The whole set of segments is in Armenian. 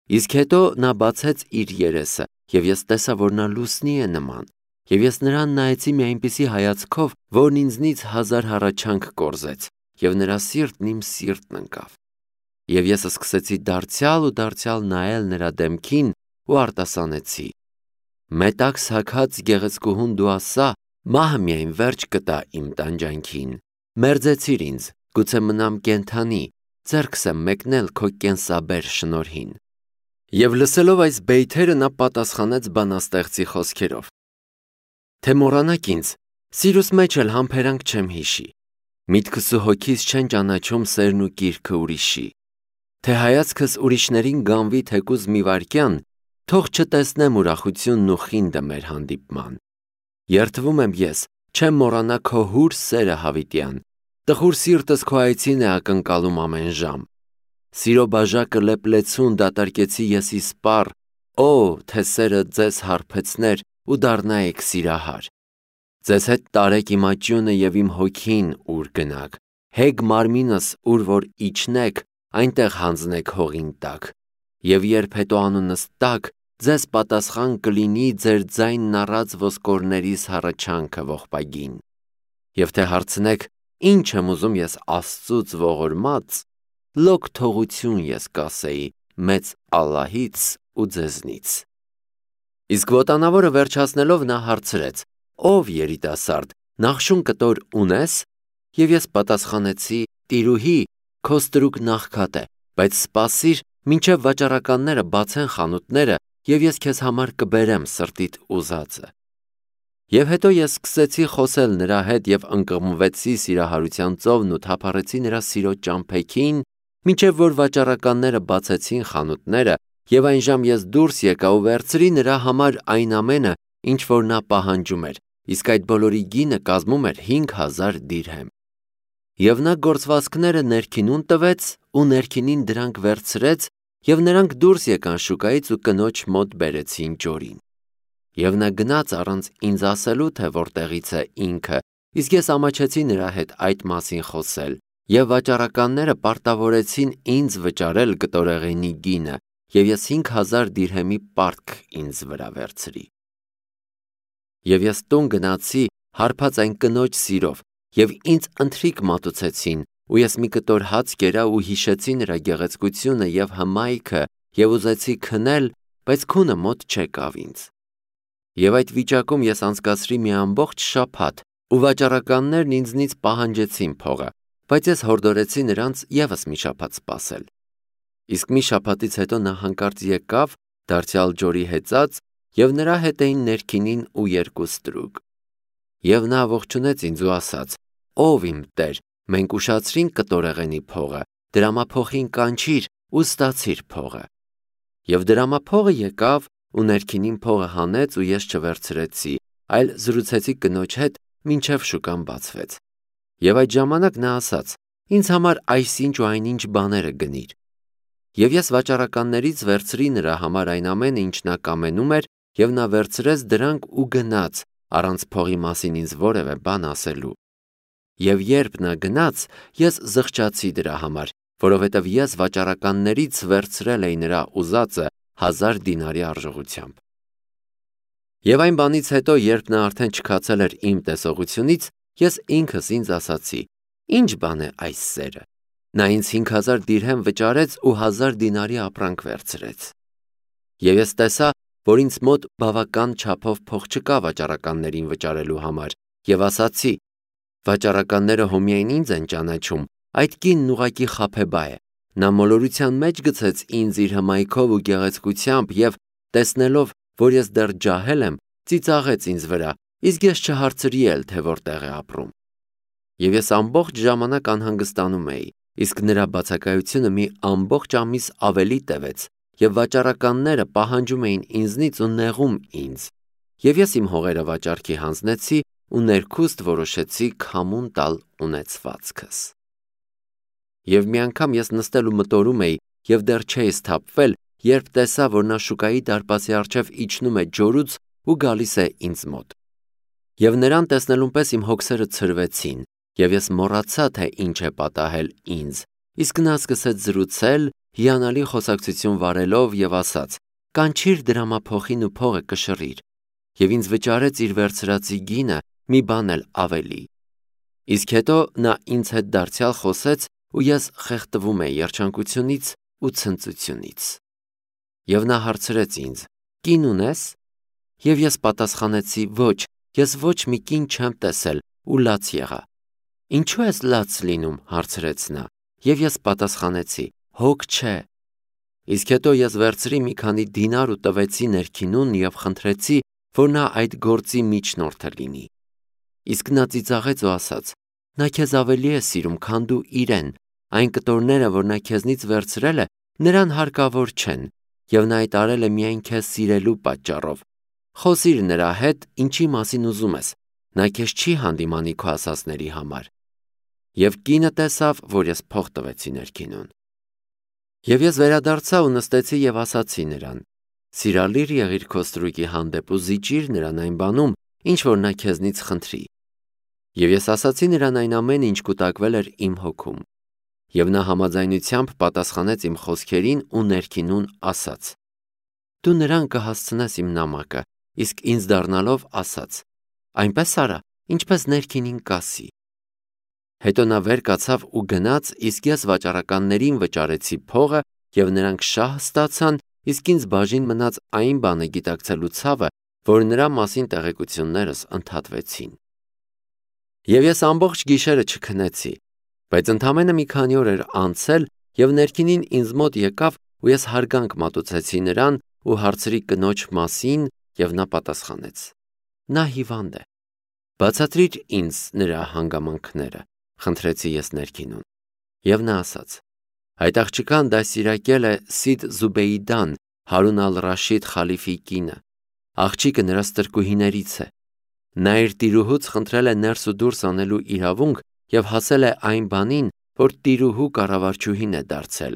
Իսկ հետո նա բացեց իր երեսը, եւ ես տեսա, որ նա լուսնի է նման, եւ ես նրան նայեցի մի այնպիսի հայացքով, որն ինձնից 1000 հառաչանք կորզեց, եւ նրա սիրտն իմ սիրտն ընկավ։ Եվ ես սկսեցի դարձյալ ու դարձյալ նայել նրա դեմքին ու արտասանեցի. «Մետաքս հագած գեղեցկուհուն դու ասա, մահը միայն վերջ կտա իմ տանջանքին։ Մերձեցիր ինձ, գուցե մնամ կենդանի, ձեռքս եմ մեկնել քո կենսաբեր շնորհին»։ Եվ լսելով այս բեյթերը նա պատասխանեց բանաստեղծի խոսքերով. «Թե մոռանաք ինձ, սիրուս մեջ էլ համբերանք չեմ հիշի, միտքս ու հոգիս չեն ճանաչում սերն ու կիրքը ուրիշի, թե հայացքս ուրիշներին գանվի թեկուզ մի վայրկյան, թող չտեսնեմ ուրախությունն ու խինդը մեր հանդիպման։ Երդվում եմ ես, չեմ մոռանա քո հուր սերը հավիտյան, տխուր սիրտս քո այցին է ակնկալում ամեն ժամ։ Սիրո բաժակը լեփլեցուն դատարկեցի ես իսպառ, օ, թե սերը ձեզ հարբեցներ ու դառնայիք սիրահար։ Ձեզ հետ տարեք իմ աճյունը եւ իմ հոգին ուր գնաք, հեգ մարմինս ուր որ իջնեք, այնտեղ հանձնեք հողին տակ։ Եվ երբ հետո անունս տակ, ձեզ պատասխան կլինի ձեր ձայնն առած ոսկորներիս հառաչանքը ողբագին։ Եվ թե հարցնեք, ինչ եմ ուզում ես Աստծուց ողորմած, լոկ թողություն ես կասեի մեծ Ալլահից ու ձեզնից։ Իսկ ոտանավորը վերջացնելով նա հարցրեց. ով երիտասարդ, նախշուն կտոր ունես։ Եվ ես պատասխանեցի. տիրուհի, քո ստրուկն աղքատ է, բայց սպասիր, մինչև վաճառականները բացեն խանութները, եւ ես քեզ համար կբերեմ սրտիդ ուզածը։ Եվ հետո ես սկսեցի խոսել նրա հետ եւ ընկղմվեցի սիրահարության ծովն ու թափառեցի նրա սիրո ճամփեքին, մինչև որ վաճառականները բացեցին խանութները, եւ այնժամ ես դուրս եկա ու վերցրի նրա համար այն ամենը, ինչ որ նա պահանջում էր, իսկ այդ բոլորի գինը կազմում էր 5000 դիրհեմ։ Եվ նա գործվածքները ներքինուն տվեց ու ներքինին դրանք վերցրեց, եւ նրանք դուրս եկան շուկայից ու կնոջ մոտ բերեցին ջորին։ Եվ նա գնաց առանց ինձ ասելու, թե որտեղից է ինքը, իսկ ես ամաչեցի նրա հետ այդ մասին խոսել, եւ վաճառականները պարտավորեցին ինձ վճարել կտորեղենի գինը, եւ ես 5000 դիրհեմի պարտք ինձ վրա վերցրի։ Եվ ես տուն գնացի հարբած այն կնոջ սիրով, եւ ինձ ընթրիք մատուցեցին, ու ես մի կտոր հաց կերա ու հիշեցի նրա գեղեցկությունը եւ հմայքը, եւ ուզեցի քնել, բայց քունը մոտ չեկավ ինձ։ Եվ այդ վիճակում ես անցկացրի մի ամբողջ շաբաթ, ու վաճառականներն ինձնից պահանջեցին փողը, բայց ես հորդորեցի նրանց եւս մի շաբաթ սպասել։ Իսկ մի շաբաթից հետո նա հանկարծ եկավ, դարձյալ ջորի հեծած, եւ նրա հետ էին ներքինին ու 2 ստրուկ։ Եվ նա ողջունեց ինձ ու ասաց. «Ով իմ տեր, մենք ուշացրինք կտորեղենի փողը, դրամափոխին կանչիր ու ստացիր փողը»։ Եվ դրամափողը եկավ ու ներքինին փողը հանեց ու ես չվերցրեցի, այլ զրուցեցի կնոջ հետ, մինչև շուկան բացվեց։ Եվ այդ ժամանակ նա ասաց. «Ինձ համար այսինչ ու այնինչ բաները գնիր»։ Եվ ես վաճառականներից վերցրի նրա համար այն ամենը, ինչ նա կամենում էր, եւ նա վերցրեց դրանք ու գնաց, առանց փողի մասին ինձ որևէ բան ասելու։ Եվ երբ նա գնաց, ես զղջացի դրա համար, որովհետև ես վաճառականներից վերցրել էի նրա ուզածը 1000 դինարի արժողությամբ։ Եվ այն բանից հետո, երբ նա արդեն չքացել էր իմ տեսողությունից, ես ինքս ինձ ասացի. «Ինչ բան է այս սերը»։ Նա ինձ 5000 դիրհեմ վճարեց ու 1000 դինարի ապրանք վերցրեց։ Եվ ես տեսա, որ ինձ մոտ բավական չափով փող չկա վաճառականներին վճարելու համար, եւ ասացի. «Վաճառականները հոմիայն ինձ են ճանաչում, այդ կինն ուղղակի խաբեբա է։ Նա մոլորության մեջ գցեց ինձ իր հմայքով ու գեղեցկությամբ եւ տեսնելով, որ ես դեռ ջահել եմ, ծիծաղեց ինձ վրա, իսկ ես չհարցրի էլ, թե որտեղ է ապրում»։ Եվ ես ամբողջ ժամանակ անհանգստանում էի, իսկ նրա բացակայությունը մի ամբողջ ամիս ավելի տևեց, եւ վաճառականները պահանջում էին ինձնից ու նեղում ինձ։ Եվ ես իմ հողերը վաճառքի հանձնեցի ու ներքուստ որոշեցի քամուն տալ ունեցվածքս։ Եվ մի անգամ ես նստել ու մտորում էի եւ դեռ չէի սթափվել, երբ տեսա, որ նա շուկայի դարպասի առջև իջնում է ջորուց ու գալիս է ինձ մոտ։ Եվ նրան տեսնելուն պես իմ հոգսերը ցրվեցին, եւ ես մոռացա, թե ինչ է պատահել ինձ, իսկ նա սկսեց զրուցել հիանալի խոսակցություն վարելով եւ ասաց. «Կանչիր դրամափոխին ու փողը կշռիր», եւ ինձ վճարեց իր վերցրածի գինը մի բան էլ ավելի։ Իսկ հետո նա ինձ հետ դարձյալ խոսեց ու ես խեղդվում էի երջանկությունից ու ցնծությունից։ Եվ նա հարցրեց ինձ. «Կին ունես»։ Եվ ես պատասխանեցի. «Ոչ, ես ոչ մի կին չեմ տեսել» ու լաց եղա։ «Ինչու ես լաց լինում»։ հարցրեց նա։ Եվ ես պատասխանեցի. «Հոգ չէ»։ Իսկ հետո ես վերցրի մի քանի դինար ու տվեցի ներքինուն եւ խնդրեցի, որ նա այդ գործի միջնորդը լինի։ Իսկ նա ծիծաղեց ու ասաց. «Նա քեզ ավելի է սիրում, քան դու իրեն, այն կտորները, որ նա քեզնից վերցրել է, նրան հարկավոր չեն, եւ նա այդ արել է միայն քեզ սիրելու պատճառով։ Խոսիր նրա հետ, ինչի մասին ուզում ես, նա քեզ չի հանդիմանի քո ասածների համար»։ Եվ կինը տեսավ, որ ես փող տվեցի ներքինուն։ Եվ ես վերադարձա ու նստեցի եւ ասացի նրան. «Սիրալիր եղիր քո ստրուկի հանդեպ ու զիջիր նրան այն բանում, ինչ որ նա քեզնից խնդրի»։ Եվ ես ասացի նրան այն ամենը, ինչ կուտակվել էր իմ հոգում։ Եվ նա համաձայնությամբ պատասխանեց իմ խոսքերին ու ներքինուն ասաց. «Դու նրան կհասցնես իմ նամակը», իսկ ինձ դառնալով ասաց. «Այնպես արա, ինչպես ներքինին կասի»։ Հետո նա վեր կացավ ու գնաց, իսկ ես վաճառականներին վճարեցի փողը եւ նրանք շահ ստացան, իսկ ինձ բաժին մնաց այն բանը գիտակցելու ցավը, որ նրա մասին տեղեկություններս ընդհատվեցին։ Եվ ես ամբողջ գիշերը չքնեցի, բայց ընդամենը մի քանի օր էր անցել եւ ներքինին ինձ մոտ եկավ ու ես հարգանք մատուցեցի նրան ու հարցրի կնոջ մասին եւ նա պատասխանեց. «Նա հիվանդ է»։ «Բացատրիր ինձ նրա հանգամանքները», խնդրեցի ես ներքինուն։ Եվ նա ասաց. «Այդ աղջկան դաստիարակել է Սիդ Զուբեյդան, Հարուն ալ-Ռաշիդ խալիֆի կինը։ Աղջիկը նրա ստրկուհիներից է։ Նա իր տիրուհուց խնդրել է ներս ու դուրս անելու իրավունք եւ հասել է այն բանին, որ տիրուհու կառավարչուհին է դարձել։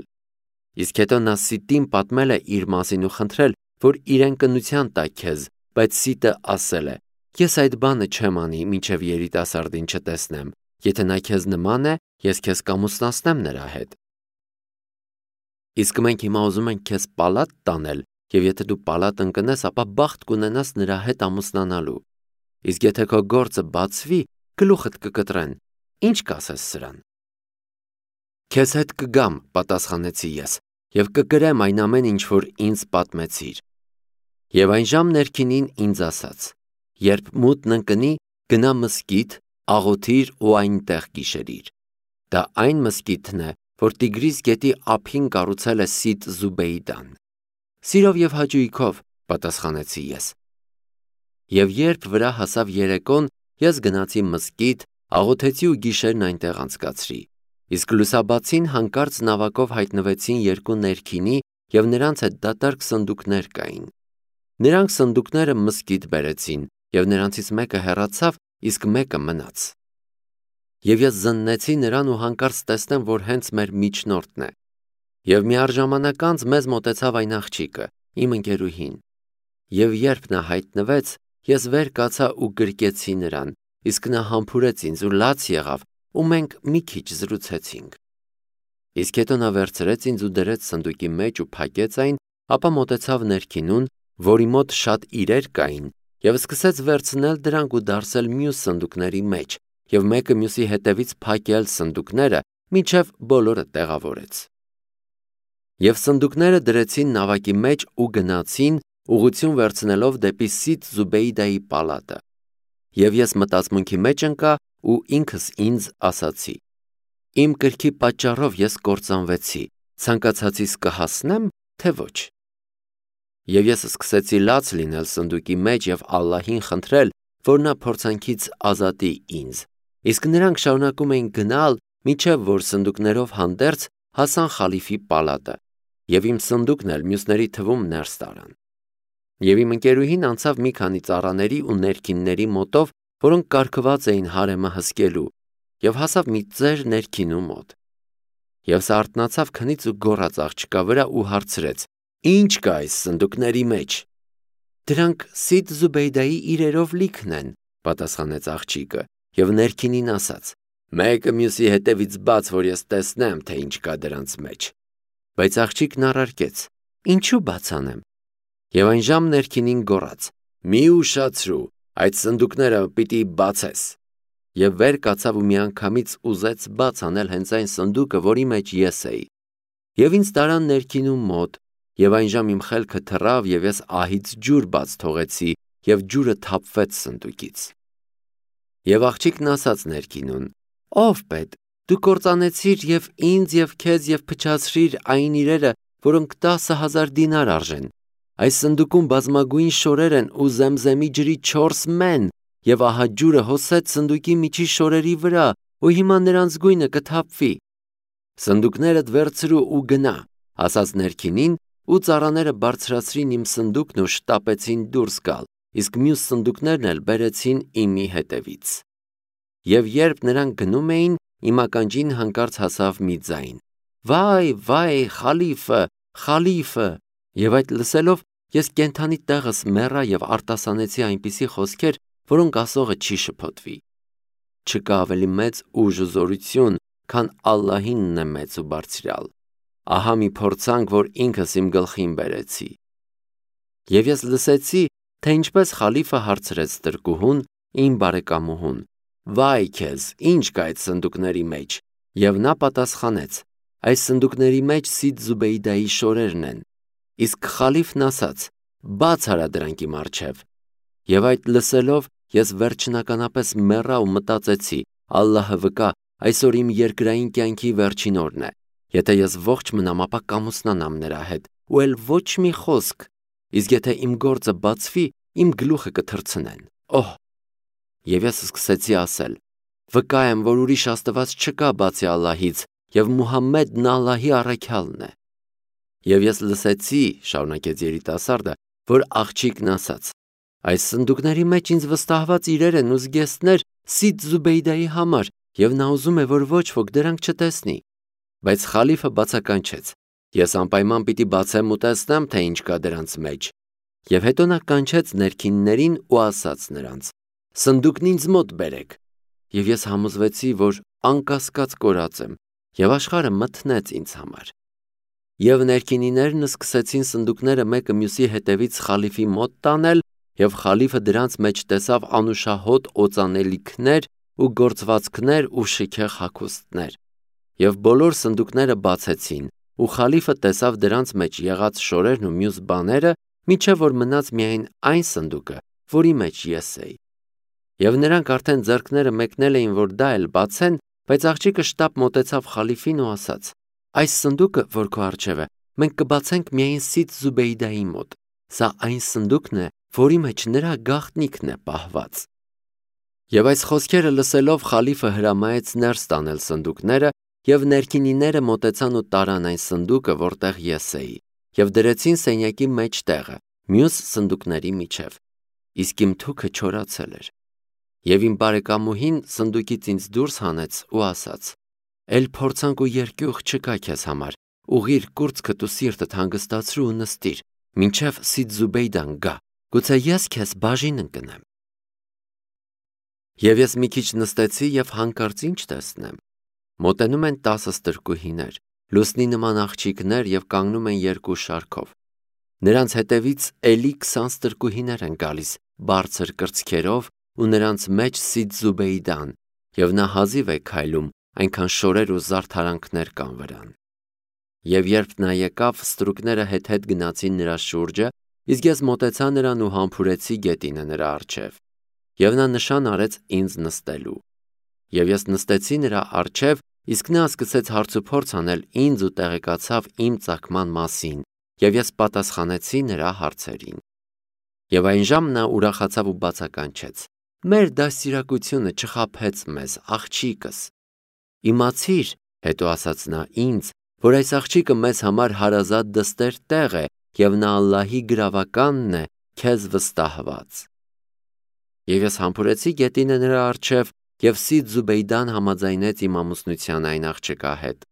Իսկ հետո նա Սիտին պատմել է իր մասին ու խնդրել, որ իրեն կնության տա քեզ, բայց Սիտը ասել է. «Ես այդ բանը չեմ անի, մինչև երիտասարդին չտեսնեմ։ Եթե նա քեզ նման է, ես քեզ կամուսնացնեմ նրա հետ։ Իսկ մենք հիմա ուզում ենք քեզ պալատ տանել, եւ եթե դու պալատ ընկնես, ապա բախտ կունենաս նրա հետ ամուսնանալու։ Իսկ եթե քո գործը բացվի, գլուխդ կկտրեն։ Ինչ կասես սրան»։ «Քեզ հետ կգամ», պատասխանեցի ես, եւ կգրեմ այն ամեն ինչ, որ ինձ պատմեցիր։ Եվ այն ժամ ներքինին ինձ ասաց. «Երբ մութն ընկնի, գնա մզկիթ, աղոթիր ու այնտեղ գիշերիր։ Դա այն մզկիթն է, որ Տիգրիս գետի ափին կառուցել է Սիդ Զուբեյդան»։ «Սիրով եւ հաճույքով», պատասխանեցի ես։ Եվ երբ վրա հասավ երեկոն, ես գնացի մզկիթ, աղոթեցի ու գիշերն այնտեղ անցկացրի։ Իսկ լուսաբացին հանկարծ նավակով հայտնվեցին երկու ներքինի եւ նրանց հետ դատարկ սնդուկներ կային։ Նրանք սնդուկները մզկիթ բերեցին եւ նրանցից մեկը հեռացավ, իսկ մեկը մնաց։ Եվ ես զննեցի նրան ու հանկարծ տեսնեմ, որ հենց մեր միջնորդն է։ Եվ միառժամանակ անց մեզ մոտեցավ այն աղջիկը, իմ ընկերուհին։ Եվ երբ նա հայտնվեց, ես վեր կացա ու գրկեցի նրան, իսկ նա համբուրեց ինձ ու լաց եղավ, ու մենք մի քիչ զրուցեցինք։ Իսկ հետո նա վերցրեց ինձ ու դրեց սնդուկի մեջ ու փակեց այն, ապա մոտեցավ ներքինուն, որի մոտ շատ իրեր կային, եւ սկսեց վերցնել դրանք ու դարսել մյուս սնդուկների մեջ, եւ մեկը մյուսի հետևից փակել սնդուկները, մինչև բոլորը տեղավորեց։ Եվ սնդուկները դրեցին նավակի մեջ ու գնացին, ուղղություն վերցնելով դեպի Սիդ Զուբեյդայի պալատը։ Եվ ես մտածմունքի մեջ ընկա ու ինքս ինձ ասացի. «Իմ կրքի պատճառով ես կործանվեցի, ցանկացածիս կհասնեմ, թե ոչ»։ Եվ ես սկսեցի լաց լինել սնդուկի մեջ եւ Ալլահին խնդրել, որ նա փորձանքից ազատի ինձ։ Իսկ նրանք շարունակում էին գնալ, մինչև որ սնդուկներով հանդերձ հասան խալիֆի պալատը, եւ իմ սնդուկն էլ մյուսների թվում ներս տարան։ Եվ իմ ընկերուհին անցավ մի քանի ծառաների ու ներքինների մոտով, որոնք կարգված էին հարեմը հսկելու, եւ հասավ մի ծեր ներքինու մոտ։ Եվ սա արթնացավ քնից ու գոռաց աղջկա վրա ու հարցրեց. «Ինչ կա այս սնդուկների մեջ»։ «Դրանք Սիդ Զուբեյդայի իրերով լիքն են», պատասխանեց աղջիկը, եւ ներքինին ասաց. «Մեկը մյուսի հետևից բաց, որ ես տեսնեմ, թե ինչ կա դրանց մեջ»։ Բայց աղջիկն առարկեց. Ինչու բացանեմ։ Եվ այն ժամ ներքինին գոռաց. Մի ուշացրու, այդ սնդուկները պիտի բացես։ Եվ վեր կացավ ու միանգամից ուզեց բաց անել հենց այն սնդուկը, որի մեջ ես էի։ Եվ ինձ տարան ներքինում մոտ, եւ այն ժամ իմ խելքը թռավ, եւ ես ահից ջուր բաց թողեցի, եւ ջուրը թափվեց սնդուկից։ Եվ աղջիկն ասաց ներքինուն. Ով պետ, դու կործանեցիր եւ ինձ եւ քեզ եւ փչացրիր այն իրերը, որոնք 10,000 դինար արժեն։ Այս սնդուկում բազմագույն շորեր են ու զեմզեմի ջրի 4 մեն, եւ ահա ջուրը հոսեց սնդուկի միջի շորերի վրա, ու հիմա նրանց գույնը կթափվի։ Սնդուկներդ վերցրու ու գնա, ասաց ներքինին, ու ծառաները բարձրացրին իմ սնդուկն ու շտապեցին դուրս գալ, իսկ մյուս սնդուկներն էլ բերեցին իմի հետևից։ Եվ երբ նրանք գնում էին, իմ ականջին հանկարծ հասավ մի ձայն. Վայ, վայ, խալիֆը, խալիֆը։ Եվ այդ լսելով ես կենթանի տեղս մեռա եւ արտասանեցի այնպիսի խոսքեր, որոնք ասողը չի շփոթվի։ Չկա ավելի մեծ ուժ ու զորություն, քան Ալլահինն է մեծ ու բարձրյալ։ Ահա մի փորձանք, որ ինքս իմ գլխին բերեցի։ Եվ ես լսեցի, թե ինչպես խալիֆը հարցրեց տրկուհուն, իմ բարեկամուհուն. Վայ քեզ, ինչ կա այդ սնդուկների մեջ։ Եվ նա պատասխանեց. այս սնդուկների մեջ Սիդ Զուբեյդայի շորերն են։ Իսկ խալիֆն ասաց. բաց արա դրանք իմ առջև։ Եվ այդ լսելով ես վերջնականապես մեռա ու մտածեցի. Ալլահը վկա, այսօր իմ երկրային կյանքի վերջին օրն է։ Եթե ես ողջ մնամ, ապա կամուսնանամ նրա հետ, ու էլ ոչ մի խոսք։ Իսկ եթե իմ գործը բացվի, իմ գլուխը կթռցնեն։ Օհ։ Եվ ես սկսեցի ասել. վկա եմ, որ ուրիշ աստված չկա բացի Ալլահից, եւ Մուհամմեդն Ալլահի առաքյալն է։ Եվ ես լսեցի, շարունակեց երիտասարդը, որ աղջիկն ասաց. այս սնդուկների մեջ ինձ վստահված իրեր են ու զգեստներ Սիդ Զուբեյդայի համար, եւ նա ուզում է, որ ոչ ոք դրանք չտեսնի։ Բայց խալիֆը բացականչեց. ես անպայման պիտի բացեմ ու տեսնեմ, թե ինչ կա դրանց մեջ։ Եվ հետո նա կանչեց ներքիններին ու ասաց նրանց. սնդուկն ինձ մոտ բերեք։ Եվ ես համոզվեցի, որ անկասկած կորած եմ, եւ աշխարհը մթնեց ինձ համար։ Եվ ներքինիներն սկսեցին սնդուկները մեկը մյուսի հետևից խալիֆի մոտ տանել, եւ խալիֆը դրանց մեջ տեսավ անուշահոտ օծանելիքներ ու գործվածքներ ու շքեղ հագուստներ։ Եվ բոլոր սնդուկները բացեցին, ու խալիֆը տեսավ դրանց մեջ եղած շորերն ու մյուս բաները, մինչև որ մնաց միայն այն սնդուկը, որի մեջ ես էի։ Եվ նրանք արդեն ձեռքները մեկնել էին, որ դա էլ բացեն, բայց աղջիկը շտապ մոտեցավ խալիֆին ու ասաց. այս սնդուկը, որ քո առջև է, մենք կբացենք միայն Սիդ Զուբեյդայի մոտ։ Սա այն սնդուկն է, որի մեջ նրա գաղտնիքն է պահված։ Եվ այս խոսքերը լսելով խալիֆը հրամայեց ներս տանել սնդուկները, եւ ներքինիները մոտեցան ու տարան այն սնդուկը, որտեղ ես էի, եւ դրեցին սենյակի մեջ տեղը, մյուս սնդուկների միջև։ Իսկ իմ թուքը չորացել էր։ Եվ իմ բարեկամուհին սնդուկից ինձ դուրս հանեց ու ասաց. Էլ փորձանք ու երկյուղ չկա քեզ համար, ուղիր կուրծքդ ու սիրտդ հանգստացրու ու նստիր, մինչև Սիդ Զուբեյդան գա, գուցե ես քեզ բաժին ընկնեմ։ Եվ ես մի քիչ նստեցի եւ հանկարծ ինչ տեսնեմ։ Մոտենում են 10 ստրկուհիներ, լուսնի նման աղջիկներ եւ կանգնում են երկու շարքով։ Նրանց հետևից էլի 20 ստրկուհիներ են գալիս, բարձր կրծքերով ու նրանց մեջ Սիդ Զուբեյդան, եւ նա հազիվ է քայլում, այնքան շորեր ու զարդարանքներ կան վրան։ Եվ երբ նա եկավ, ստրուկները հետ գնացին նրա շուրջը, իսկ ես մոտեցա նրան ու համբուրեցի գետինը նրա առջև։ Եվ նա նշան արեց ինձ նստելու։ Եվ ես նստեցի նրա առջև, իսկ նա սկսեց հարցուփորձ անել ինձ ու տեղեկացավ իմ ծագման մասին, եւ ես պատասխանեցի նրա հարցերին։ Եվ այն ժամ նա ուրախացավ ու բացականչեց. մեր դաստիարակությունը չխաբեց մեզ, աղջիկս։ Իմացիր, հետո ասաց նա ինձ, որ այս աղջիկը մեզ համար հարազատ դստեր տեղ է, եւ նա Ալլահի գրավականն է, քեզ վստահված։ Եվ ես համբուրեցի գետինը նրա առջև, եւ Սիդ Զուբեյդան համաձայնեց իմ ամուսնության այն աղջկա հետ։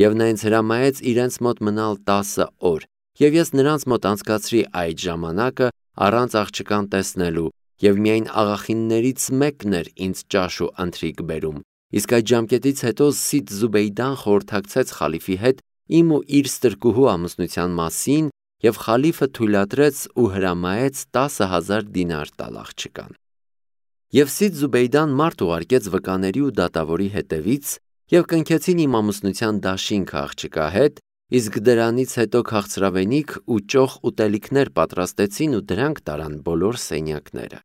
Եվ նա ինձ հրամայեց իրենց մոտ մնալ 10 օր, եւ ես նրանց մոտ անցկացրի այդ ժամանակը առանց աղջկան տեսնելու, եւ միայն աղախիններից մեկն էր ինձ ճաշ ու ընթրիք բերում։ Իսկ այդ ժամկետից հետո Սիդ Զուբեյդան խորհրդակցեց խալիֆի հետ իմ ու իր ստրկուհու ամուսնության մասին և խալիֆը թույլատրեց ու հրամայեց 10,000 դինար տալ աղջկան։ Եվ Սիդ Զուբեյդան մարդ ուղարկեց վկաների ու դատավորի հետևից և կնքեցին իմ ամուսնության դաշինքը աղջկա հետ, իսկ դրանից հետո քաղցրավենիք ու ճոխ ուտելիքներ պատրաստեցին ու դրանք տարան բոլոր սենյակները։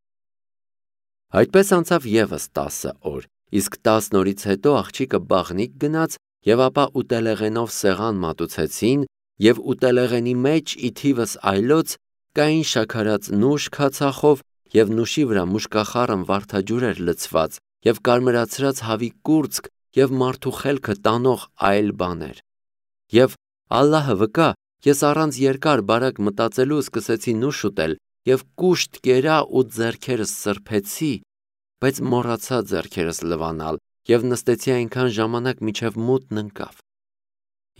Այդպես անցավ ևս 10 օր, իսկ 10 օրից հետո աղջիկը բաղնիք գնաց և ապա ուտելեղենով սեղան մատուցեցին և ուտելեղենի մեջ ի թիվս այլոց կային շաքարած նուշ քացախով և նուշի վրա մուշկախառն վարդաջուր էր լցված և կարմրացրած հավի կուրծք և մարդու խելքը տանող այլ բաներ։ Եվ Ալլահը վկա, ես առանց երկար բարակ մտածելու սկսեցի նուշ ուտել և կուշտ կերա ու ձեռքերս սրբեցի, բայց մոռացա ձեռքերս լվանալ և նստեցի այնքան ժամանակ մինչև մութն ընկավ։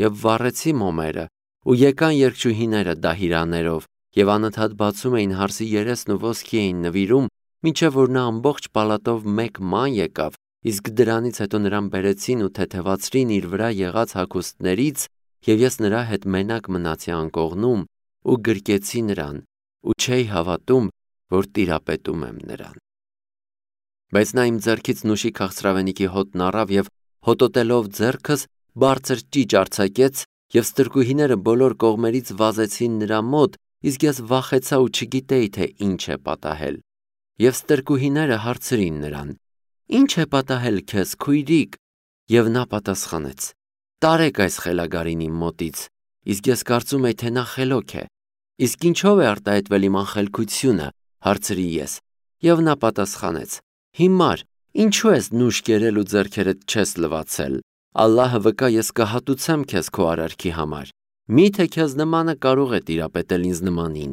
Եվ վառեցի մոմերը ու եկան երգչուհիները դահիրաներով և անընդհատ բացում էին հարսի երեսն ու ոսկի էին նվիրում, մինչև որ նա ամբողջ պալատով մեկ ման եկավ, իսկ դրանից հետո նրան բերեցին ու թեթևացրին իր վրա եղած հագուստներից, և ես նրա հետ մենակ մնացի անկողնում ու գրկեցի նրան ու չէի հավատում, որ տիրապետում եմ նրան։ Բայց նա իմ ձեռքից նուշի քաղցրավենիքի հոտն առավ և հոտոտելով ձեռքս բարձր ճիճ արձակեց և ստրկուհիները բոլոր կողմերից վազեցին նրա մոտ, իսկ ես վախեցա ու չգիտեի, թե ինչ է պատահել։ Եվ ստրկուհիները հարցրին նրան. «Ի՞նչ է պատահել քեզ, քույրիկ»։ Եվ նա պատասխանեց. «Տարեք այս խելագարին իմ մոտից, իսկ ես կարծում էի, թե նա խելոք է»։ «Իսկ ինչով է արտահայտվել իմ անխելքությունը»։ Հարցրի ես։ Եվ նա պատասխանեց. «Հիմար, ինչու ես նուշ կերել ու ձեռքերդ չես լվացել։ Ալլահը վկա, ես կհատուցեմ քեզ քո արարքի համար։ Մի՞թե քեզ նմանը կարող է տիրապետել ինձ նմանին»։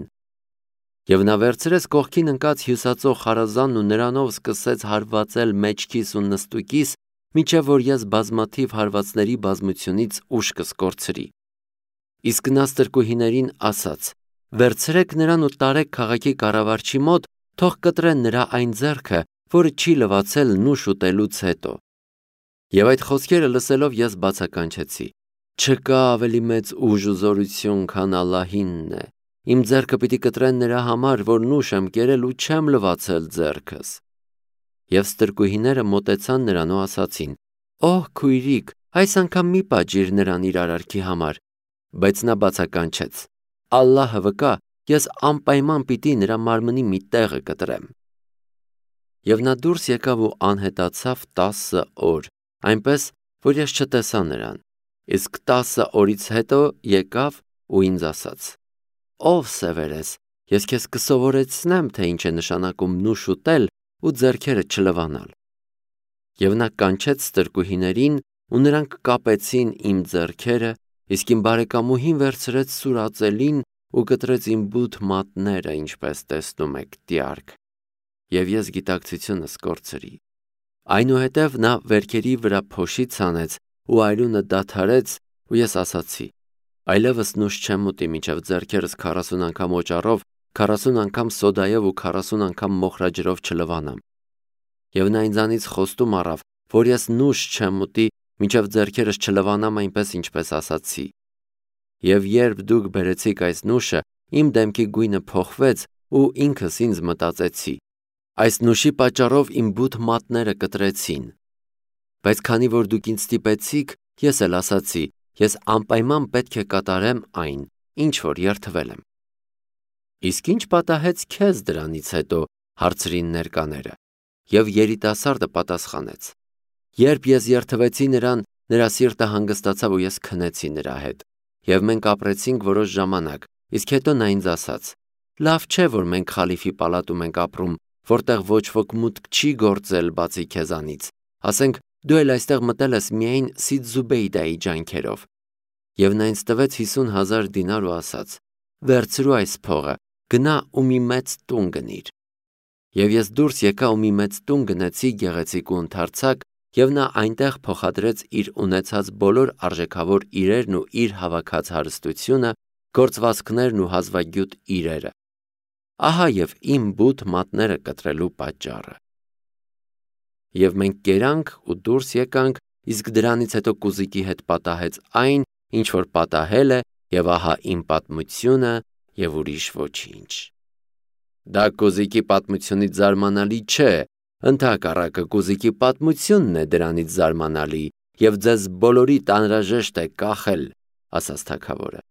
Եվ նա վերցրեց կողքին ընկած հյուսածո խարազանն ու նրանով սկսեց հարվածել մեջքիս ու նստուկիս, մինչև որ ես բազմաթիվ հարվածների բազմությունից ուշքս կորցրի։ Իսկ նա ստրկուհիներին ասաց. «Վերցրեք նրան ու տարեք քաղաքի կառավարչի մոտ, թող կտրեն նրա այն ձեռքը, որը չի լվացել նուշ ուտելուց հետո»։ Եվ այդ խոսքերը լսելով ես բացականչեցի. «Չկա ավելի մեծ ուժ ու զորություն, քան Ալլահինն է։ Իմ ձեռքը պիտի կտրեն նրա համար, որ նուշ եմ կերել ու չեմ լվացել ձեռքս»։ Եվ ստրկուհիները մոտեցան նրան ու ասացին. «Օհ, քույրիկ, այս անգամ մի պատժիր նրան իր արարքի համար»։ Բայց նա բացականչեց. «Ալլահը վկա, ես անպայման պիտի նրա մարմնի մի տեղը կտրեմ»։ Եվ նա դուրս եկավ ու անհետացավ 10 օր, այնպես, որ ես չտեսա նրան։ Իսկ 10 օրից հետո եկավ ու ինձ ասաց. «Ով Սևերես, ես քեզ կսովորեցնեմ, թե ինչ է նշանակում նուշ ուտել ու ձեռքերը չլվանալ»։ Եվ նա կանչեց ստրկուհիներին ու նրանք կապեցին իմ ձեռքերը, իսկ իմ բարեկամուհին վերցրեց սուրածելին ու կտրեց իմ բութ մատները, ինչպես տեսնում եք տյարք։ Եվ ես գիտակցությունս կորցրի։ Այնուհետև նա վերքերի վրա փոշի ցանեց ու արյունը դադարեց ու ես ասացի. «Այլևս նուշ չեմ ուտի, մինչև ձեռքերս 40 անգամ օճառով, 40 անգամ սոդայով ու 40 անգամ մոխրաջրով չլվանամ»։ Եվ նա ինձանից խոստում առավ, որ ես նուշ չեմ ուտի, մինչև ձեռքերս չլվանամ այնպես, ինչպես ասացի։ Եվ երբ դուք բերեցիք այս նուշը, իմ դեմքի գույնը փոխվեց ու ինքս ինձ մտածեցի. այս նուշի պատճառով իմ բութ մատները կտրեցին։ Բայց քանի որ դուք ինձ ստիպեցիք, ես էլ ասացի. ես անպայման պետք է կատարեմ այն, ինչ որ երդվել եմ։ Իսկ ի՞նչ պատահեց քեզ դրանից հետո, հարցրին ներկաները։ Եվ երիտասարդը պատասխանեց. երբ ես երդվեցի նրան, նրա սիրտը հանգստացավ ու ես քնեցի նրա հետ։ Եվ մենք ապրեցինք որոշ ժամանակ, իսկ հետո նա ինձ ասաց. լավ չէ, որ մենք խալիֆի պալատում ենք ապրում, որտեղ ոչ ոք մուտք չի գործել բացի քեզանից։ Ասենք, դու էլ այստեղ մտել ես միայն Սիդ Զուբեյդայի ջանքերով։ Եվ նա ինձ տվեց 50,000 դինար ու ասաց. վերցրու այս փողը, գնա ու մի մեծ տուն գնիր։ Եվ ես դուրս եկա ու մի մեծ տուն գնեցի, գեղեցիկ ու ընդարձակ, և նա այնտեղ փոխադրեց իր ունեցած բոլոր արժեքավոր իրերն ու իր հավաքած հարստությունը, գործվածքներն ու հազվագյուտ իրերը։ Ահա և իմ բութ մատները կտրելու պատճառը։ Եվ մենք կերանք ու դուրս եկանք, իսկ դրանից հետո կուզիկի հետ պատահեց այն, ինչ որ պատահել է, եւ ահա իմ պատմությունը եւ ուրիշ ոչինչ։ Դա Կոզիկի պատմությունից զարմանալի չէ, ընդհակառակը Կոզիկի պատմությունն է դրանից զարմանալի, եւ ձեզ բոլորիդ անհրաժեշտ է կախել, ասաց թագավորը։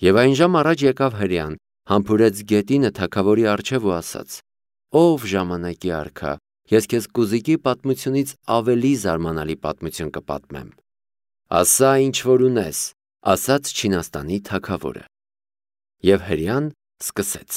Եվ այն ժամ առաջ եկավ հրեան, համբուրեց գետինը թագավորի առջև ու ասաց. «Ով ժամանակի արքա, ես քեզ Կոզիկի պատմությունից ավելի զարմանալի պատմություն կպատմեմ»։ «Ասա, ինչ որ ունես», ասաց Չինաստանի թագավորը։ Եվ հրեան սկսեց.